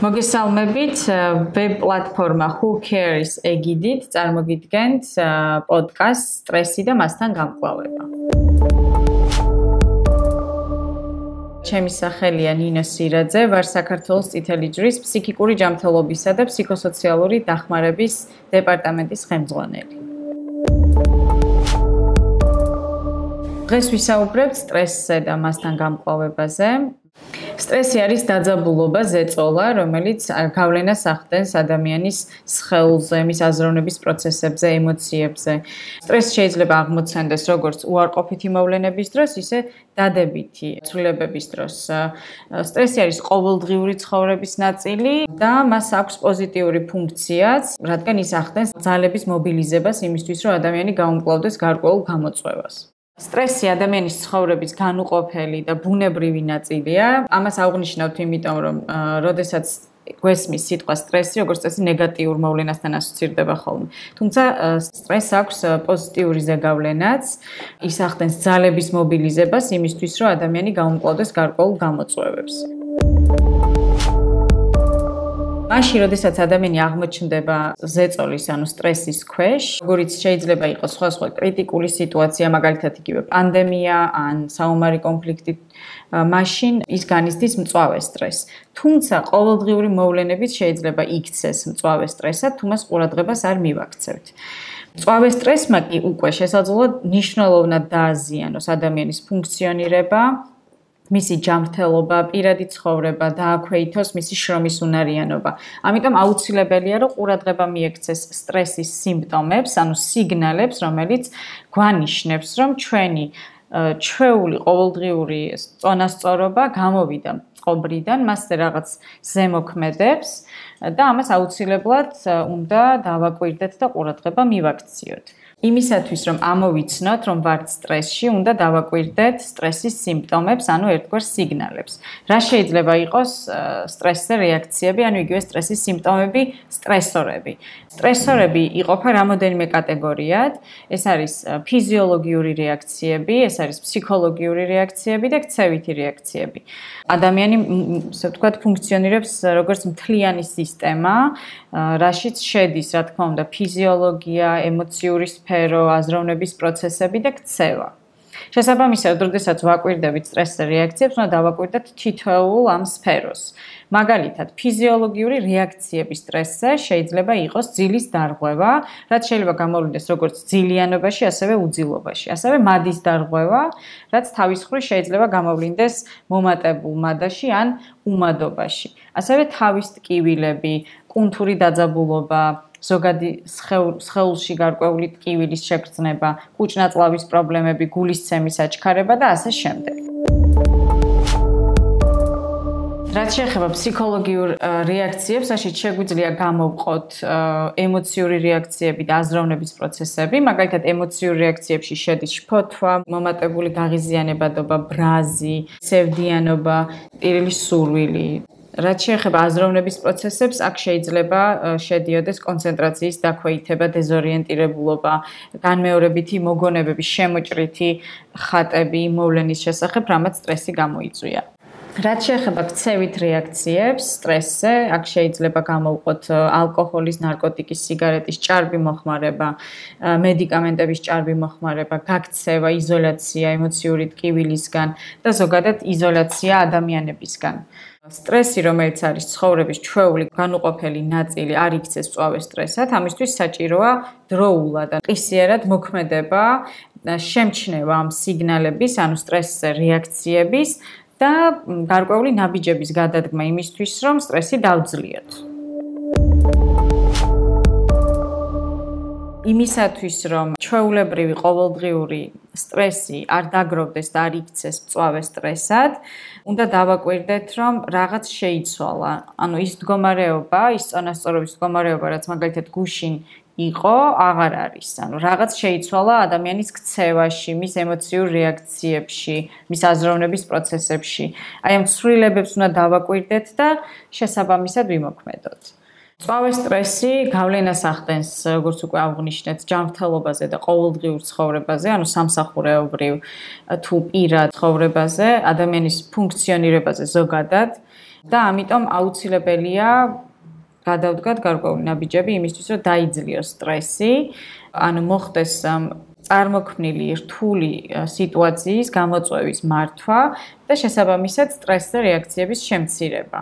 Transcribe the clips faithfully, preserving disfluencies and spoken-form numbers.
მოგესალმებით, ვებ პლატფორმა Who Cares ეგიდით წარმოგიდგენთ პოდკასტ სტრესი და მასთან გამკლავება. ჩემი სახელია ნინო სირაძე, ვარ საქართველოს წითელი ჯვრის ფსიქიკური ჯანმრთელობისა და ფსიქოსოციალური დახმარების დეპარტამენტის ხელმძღვანელი. დღეს ვისაუბრებთ სტრესზე და მასთან გამკლავებაზე. სტრესი არის დაძაბულობა, ზეწოლა, რომელიც გავლენას ახდენს ადამიანის სხეულზე, მის აზროვნების პროცესებზე, ემოციებზე. სტრესი შეიძლება აღმოცენდეს როგორც უარყოფითი მოვლენების დროს, ისე დადებითი ცვლილებების დროს. სტრესი არის ყოველდღიური ცხოვრების ნაწილი და მას აქვს პოზიტიური ფუნქციაც, რადგან ის ახდენს ძალების მობილიზებას იმისთვის, რომ ადამიანი გაუმკლავდეს გარკვეულ გამოწვევას. სტრესი ადამიანის ცხოვრების განუყოფელი და ბუნებრივი ნაწილია. ამას აღვნიშნავთ იმიტომ, რომ როდესაც გვესმის სიტყვა სტრესი, როგორც წესი ნეგატიურ მოვლენასთან ასოცირდება ხოლმე. თუმცა სტრესს აქვს პოზიტიური ზეგავლენაც, ის ახდენს ძალების მობილიზებას იმისთვის, რომ ადამიანი გაუმკლავდეს გარკვეულ გამოწვევებს. მაშინ, როდესაც ადამიანი აღმოჩნდება ზეწოლის, ანუ სტრესის ქვეშ, როგორიც შეიძლება იყოს სხვადასხვა კრიტიკული სიტუაცია, მაგალითად იგივე პანდემია ან საომარი კონფლიქტი, მაშინ ის განიცდის მწვავე სტრესს. თუმცა ყოველდღიური მოვლენებით შეიძლება იქცეს მწვავე სტრესად, თუ მას ყურადღებას არ მივაქცევთ. მწვავე სტრესმა კი უკვე შესაძლოა მნიშვნელოვნად დააზიანოს ადამიანის ფუნქციონირება, მისი ჯანმრთელობა, პირადი ცხოვრება დააქვეითოს მისი შრომის უნარიანობა. ამიტომ აუცილებელია, რომ ყურადღება მიექცეს სტრესის სიმპტომებს, ანუ სიგნალებს, რომელიც გვანიშნებს, რომ ჩვენი ჩვეული ყოველდღიური წონასწორობა გამოვიდა მწყობრიდან, მასზე რაღაც ზემოქმედებს და ამას აუცილებლად უნდა დავაკვირდეთ და ყურადღება მივაქციოთ. იმისათვის, რომ ამოვიცნოთ, რომ ვართ სტრესში, უნდა დავაკვირდეთ სტრესის სიმპტომებს, ანუ ერთგვარ სიგნალებს. რა შეიძლება იყოს სტრესზე რეაქციები, ანუ იგივე სტრესის სიმპტომები, სტრესორები. სტრესორები იყოფა რამოდენიმე კატეგორიად. ეს არის ფიზიოლოგიური რეაქციები, ეს არის ფსიქოლოგიური რეაქციები და ქცევითი რეაქციები. ადამიანი, ასე ვთქვათ, ფუნქციონირებს როგორც მთლიანი სისტემა, რაშიც შედის, რა თქმა უნდა, ფიზიოლოგია, ემოციური სფერო, აზროვნების პროცესები და ქცევა. შესაბამისად, როდესაც ვაკვირდებით სტრესზე რეაქციებს, უნდა დავაკვირდეთ თითოეულ ამ სფეროს. მაგალითად, ფიზიოლოგიური რეაქციები სტრესზე შეიძლება იყოს ძილის დარღვევა, რაც შეიძლება გამოვლინდეს როგორც ძილიანობაში, ასევე უძილობაში. ასევე მადის დარღვევა, რაც თავის მხრივ შეიძლება გამოვლინდეს მომატებულ მადაში ან უმადობაში. ასევე თავის ტკივილები, კუნთური დაძაბულობა, ზოგადი სხეულში გარკვეული ტკივილის შეგრძნება, კუჭნაწლავის პრობლემები, გულისცემის აჩქარება და ასე შემდეგ. რაც შეეხება ფსიქოლოგიურ რეაქციებს,აშიც შეგვიძლია გამოვყოთ ემოციური რეაქციები და აზროვნების პროცესები. მაგალითად, ემოციურ რეაქციებში შედის შფოთვა, მომატებული გაღიზიანებადობა, ბრაზი, სევდიანობა, ტირილის სურვილი. რაც შეეხება აზროვნების პროცესებს, აქ შეიძლება შედიოდეს კონცენტრაციის დაქვეითება, დეზორიენტირებულობა, განმეორებითი მოგონებები, შემოჭრითი ხატები მოვლენის შესახებ, რამაც სტრესი გამოიწვია. რაც შეეხება ქცევით რეაქციებს სტრესზე, აქ შეიძლება გამოვყოთ ალკოჰოლის, ნარკოტიკის, სიგარეტის ჭარბი მოხმარება, მედიკამენტების ჭარბი მოხმარება, გაქცევა, იზოლაცია ემოციური ტკივილისგან და ზოგადად იზოლაცია ადამიანებისგან. სტრესი, რომელიც არის ცხოვრების ჩვეული განუყოფელი ნაწილი, არ იქცეს მწვავე სტრესად, ამისთვის საჭიროა დროულად და ყისიერად მოქმედება, შემჩნევა ამ სიგნალების, ანუ სტრესზე რეაქციების და გარკვეული ნაბიჯების გადადგმა იმისთვის, რომ სტრესი დავძლიოთ. იმისათვის, რომ ჩვეულებრივი ყოველდღიური სტრესი არ დაგროვდეს და არ იქცეს მწვავე სტრესად, უნდა დავაკვირდეთ, რომ რაღაც შეიცვალა. ანუ ის მდგომარეობა, ის წონასწორობის მდგომარეობა, რაც მაგალითად გუშინ იყო, აღარ არის. ანუ რაღაც შეიცვალა ადამიანის ქცევაში, მის ემოციურ რეაქციებში, მის აზროვნების პროცესებში. აი ამ ცვლილებებს უნდა დავაკვირდეთ და შესაბამისად ვიმოქმედოთ. მწვავე სტრესი გავლენას ახდენს, როგორც უკვე აღვნიშნეთ, ჯანმრთელობაზე და ყოველდღიურ ცხოვრებაზე, ანუ სამსახურეობრივ თუ პირად ცხოვრებაზე, ადამიანის ფუნქციონირებაზე ზოგადად. და ამიტომ აუცილებელია გადავდგათ გარკვეული ნაბიჯები იმისთვის, რომ დაიძლიოს სტრესი, ანუ მოხდეს წარმოქმნილი რთული სიტუაციის გამოწვევის მართვა და შესაბამისად სტრესზე რეაქციების შემცირება.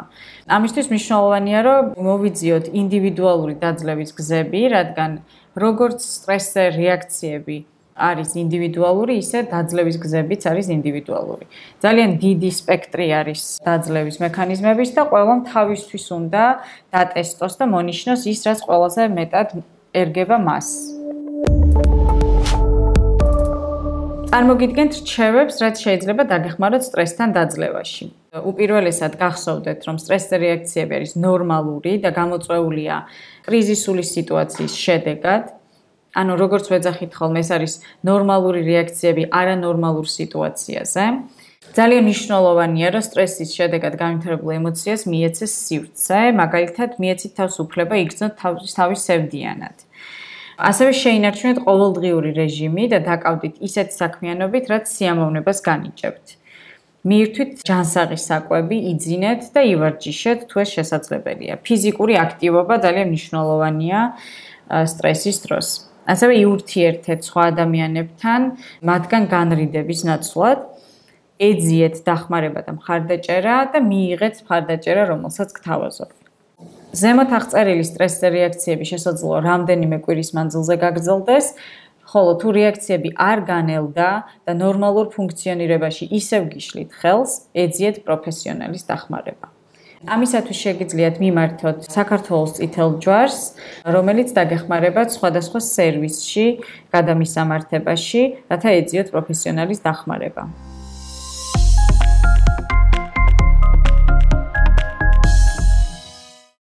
ამისთვის მნიშვნელოვანია, რომ მოვიძიოთ ინდივიდუალური დაძლევის გზები, რადგან როგორც სტრესზე რეაქციები არის ინდივიდუალური, ისე დაძლევის გზებიც არის ინდივიდუალური. ძალიან დიდი სპექტრი არის დაძლევის მექანიზმების და ყველამ თავისთვის უნდა დატესტოს და მონიშნოს ის, რაც ყველაზე მეტად ერგება მას. წარმოგიდგენთ რჩევებს, რაც შეიძლება დაგეხმაროთ სტრესთან დაძლევაში. უპირველესად გახსოვდეთ, რომ სტრესზე რეაქციები არის ნორმალური და გამოწვეულია კრიზისული სიტუაციის შედეგად. ანუ როგორც ვეძახით ხოლმე, ეს არის ნორმალური რეაქციები არანორმალურ სიტუაციაზე. ძალიან მნიშვნელოვანია, რომ სტრესის შედეგად განვითარებულ ემოციას მიეცეს სივრცე, მაგალითად, მიეცით თავს უფლება იგრძნოთ თავის სევდიანად. ასევე შეინარჩუნეთ ყოველდღიური რეჟიმი და დაკავდით ისეთი საქმიანობით, რაც სიამოვნებას განიჭებთ. მიირთვით ჯანსაღის საკვები, იძინეთ და ივარჯიშეთ, თუ ეს შესაძლებელია. ფიზიკური აქტივობა ძალიან მნიშვნელოვანია სტრესის დროს. ასევე იურთიერთეთ სხვა ადამიანებთან, მათგან განრიდების ნაცვლად, ეძიეთ დახმარება და მხარდაჭერა და მიიღეთ მხარდაჭერა, რომელსაც გთავაზობთ. ზემოთ აღწერილი სტრესზე რეაქციები შესაძლოა რამდენიმე კვირის მანძილზე გაგრძელდეს, ხოლო თუ რეაქციები არ განელდა და ნორმალურ ფუნქციონირებაში ისევ გიშლით ხელს, ეძიეთ პროფესიონალის დახმარება. ამისათვის შეგიძლიათ მიმართოთ საქართველოს წითელ ჯვარს, რომელიც დაგეხმარებათ სხვადასხვა სერვისში, გადამისამართებაში, რათა ეძიოთ პროფესიონალის დახმარება.